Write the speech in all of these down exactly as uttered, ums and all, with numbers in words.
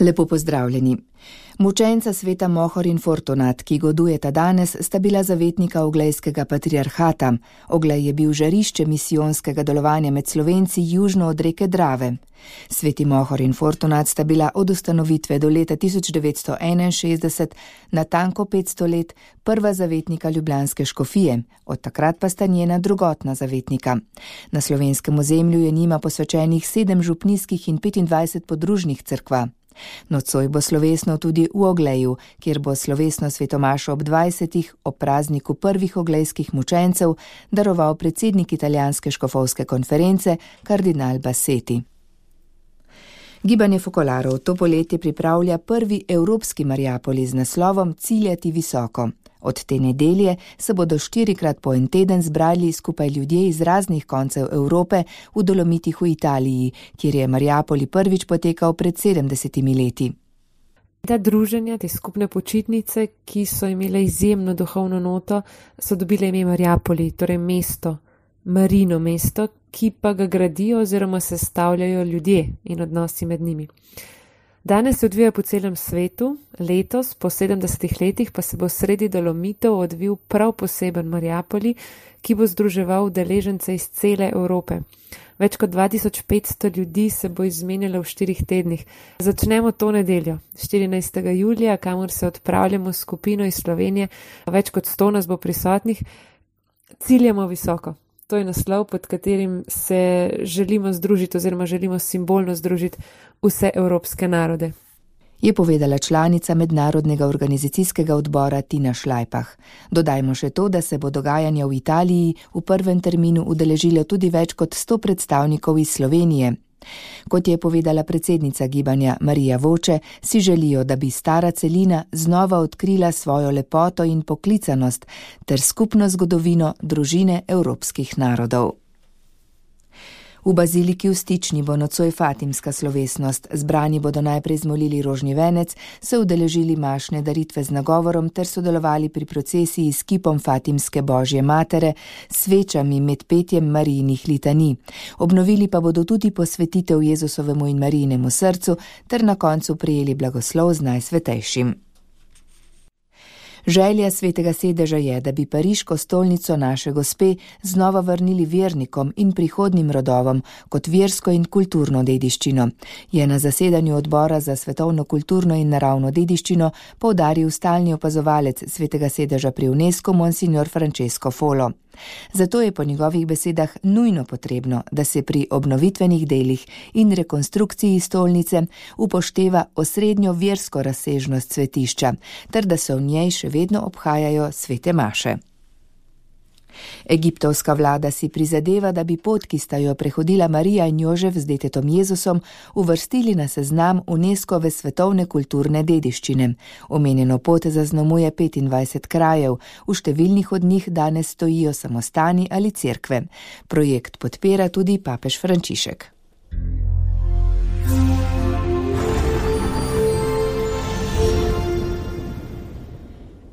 Lepo pozdravljeni. Mučenca sveta Mohor in Fortunat, ki godujeta danes, sta bila zavetnika oglejskega patriarhata. Oglej je bil žarišče misijonskega delovanja med Slovenci južno od reke Drave. Sveti Mohor in Fortunat sta bila od ustanovitve do leta tisoč devetsto enainšestdeset, natanko petsto let, prva zavetnika ljubljanske škofije, od takrat pa sta njena drugotna zavetnika. Na slovenskem ozemlju je njima posvečenih sedem župnijskih in petindvajset podružnih cerkva. Nocoj bo slovesno tudi v Ogleju, kjer bo slovesno svetomašo ob dvajsetih, ob prazniku prvih oglejskih mučencev, daroval predsednik italijanske škofovske konference, kardinal Bassetti. Gibanje fokolarov to poletje pripravlja prvi evropski Mariapoli z naslovom Ciljati visoko. Od te nedelje se bodo štirikrat po en teden zbrali skupaj ljudje iz raznih koncev Evrope v Dolomitih v Italiji, kjer je Mariapoli prvič potekal pred sedemdesetimi leti. Ta druženja, te skupne počitnice, ki so imele izjemno duhovno noto, so dobile ime Mariapoli, torej mesto, Marino mesto, ki pa ga gradijo oziroma sestavljajo ljudje in odnosi med njimi. Danes se odvija po celem svetu, letos, po sedemdesetih letih, pa se bo sredi Dolomitov odvil prav poseben Mariapoli, ki bo združeval udeležence iz cele Evrope. Več kot dva tisoč petsto ljudi se bo izmenjalo v štirih tednih. Začnemo to nedeljo, štirinajstega julija, kamor se odpravljamo s skupino iz Slovenije. Več kot sto nas bo prisotnih. Ciljamo visoko. To je naslov, pod katerim se želimo združiti oziroma želimo simbolno združiti vse evropske narode. Je povedala članica mednarodnega organizacijskega odbora Tina Šlajpah. Dodajmo še to, da se bo dogajanje v Italiji v prvem terminu udeležilo tudi več kot sto predstavnikov iz Slovenije. Kot je povedala predsednica gibanja Marija Voče, si želijo, da bi stara celina znova odkrila svojo lepoto in poklicanost ter skupno zgodovino družine evropskih narodov. V baziliki v Stični bo nocoj fatimska slovesnost. Zbrani bodo najprej zmolili rožni venec, se udeležili mašne daritve z nagovorom ter sodelovali pri procesiji s kipom Fatimske Božje matere, svečami med petjem Marijinih litanij. Obnovili pa bodo tudi posvetitev Jezusovemu in Marijinemu srcu ter na koncu prejeli blagoslov z najsvetejšim. Želja svetega sedeža je, da bi pariško stolnico naše gospe znova vrnili vernikom in prihodnim rodovom kot versko in kulturno dediščino, je na zasedanju odbora za svetovno kulturno in naravno dediščino poudaril stalni opazovalec svetega sedeža pri UNESCO monsignor Francesco Folo. Zato je po njegovih besedah nujno potrebno, da se pri obnovitvenih delih in rekonstrukciji stolnice upošteva osrednjo versko razsežnost svetišča, ter da se v njej še vedno obhajajo svete maše. Egiptovska vlada si prizadeva, da bi pot, ki sta jo prehodila Marija in Jožef z detetom Jezusom, uvrstili na seznam UNESCOve svetovne kulturne dediščine. Omenjeno pot zaznamuje petindvajset krajev, v številnih od njih danes stojijo samostani ali cerkve. Projekt podpira tudi papež Frančišek.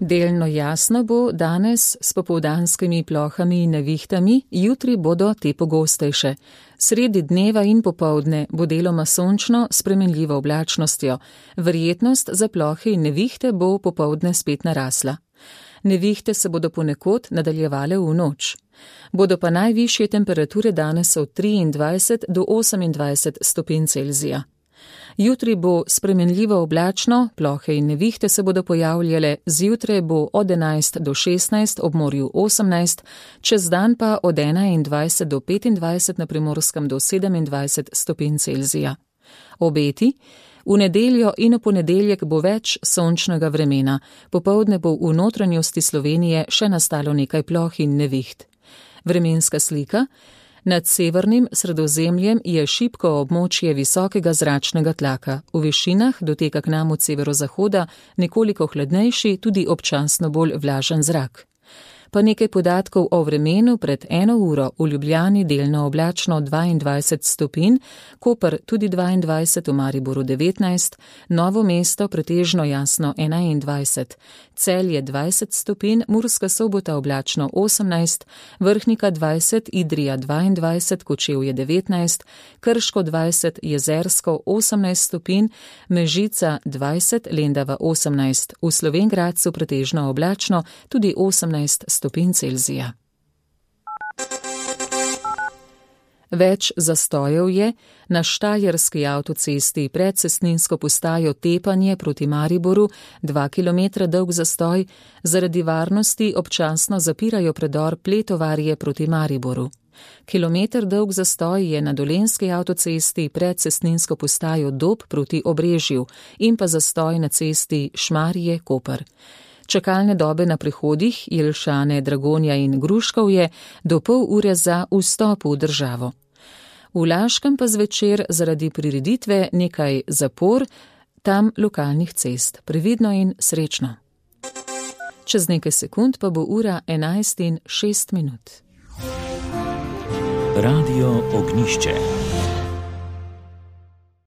Delno jasno bo danes s popoldanskimi plohami in nevihtami, jutri bodo te pogostejše. Sredi dneva in popoldne bo deloma sončno s spremenljivo oblačnostjo. Verjetnost za plohe in nevihte bo popoldne spet narasla. Nevihte se bodo ponekod nadaljevale v noč. Bodo pa najvišje temperature danes od triindvajset do osemindvajset stopinj Celzija. Jutri bo spremenljivo oblačno, plohe in nevihte se bodo pojavljale, zjutraj bo od enajst do šestnajst, ob morju osemnajst, čez dan pa od enaindvajset do petindvajset, na Primorskem do sedemindvajset stopinj Celzija. Obeti: v nedeljo in v ponedeljek bo več sončnega vremena, popoldne bo v notranjosti Slovenije še nastalo nekaj ploh in neviht. Vremenska slika: nad severnim Sredozemljem je šibko območje visokega zračnega tlaka, v višinah doteka k nam od severozahoda nekoliko hladnejši, tudi občasno bolj vlažen zrak. Pa nekaj podatkov o vremenu. Pred eno uro v Ljubljani delno oblačno dvaindvajset stopinj, Koper tudi dvaindvajset, v Mariboru devetnajst, Novo mesto pretežno jasno enaindvajset, Celje dvajset stopinj, Murska Sobota oblačno osemnajst, Vrhnika dvajset, Idrija dvaindvajset, Kočevje devetnajst, Krško dvajset, Jezersko osemnajst stopinj, Mežica dvajset, Lendava osemnajst, v Slovenj Gradcu pretežno oblačno tudi osemnajst stopinj Celzija. Več zastojev je na štajerski avtocesti pred cestninsko postajo Tepanje proti Mariboru, dva kilometra dolg zastoj, zaradi varnosti občasno zapirajo predor Pletovarje proti Mariboru. Kilometer dolg zastoj je na dolenjski avtocesti pred cestninsko postajo Dob proti Obrežju in pa zastoj na cesti Šmarje-Koper. Čakalne dobe na prehodih Jelšane, Dragonja in Gruškovje do pol ure za vstop v državo. V Laškem pa zvečer zaradi prireditve nekaj zapor, tam lokalnih cest. Previdno in srečno. Čez nekaj sekund pa bo ura enajst in šest minut. Radio Ognjišče.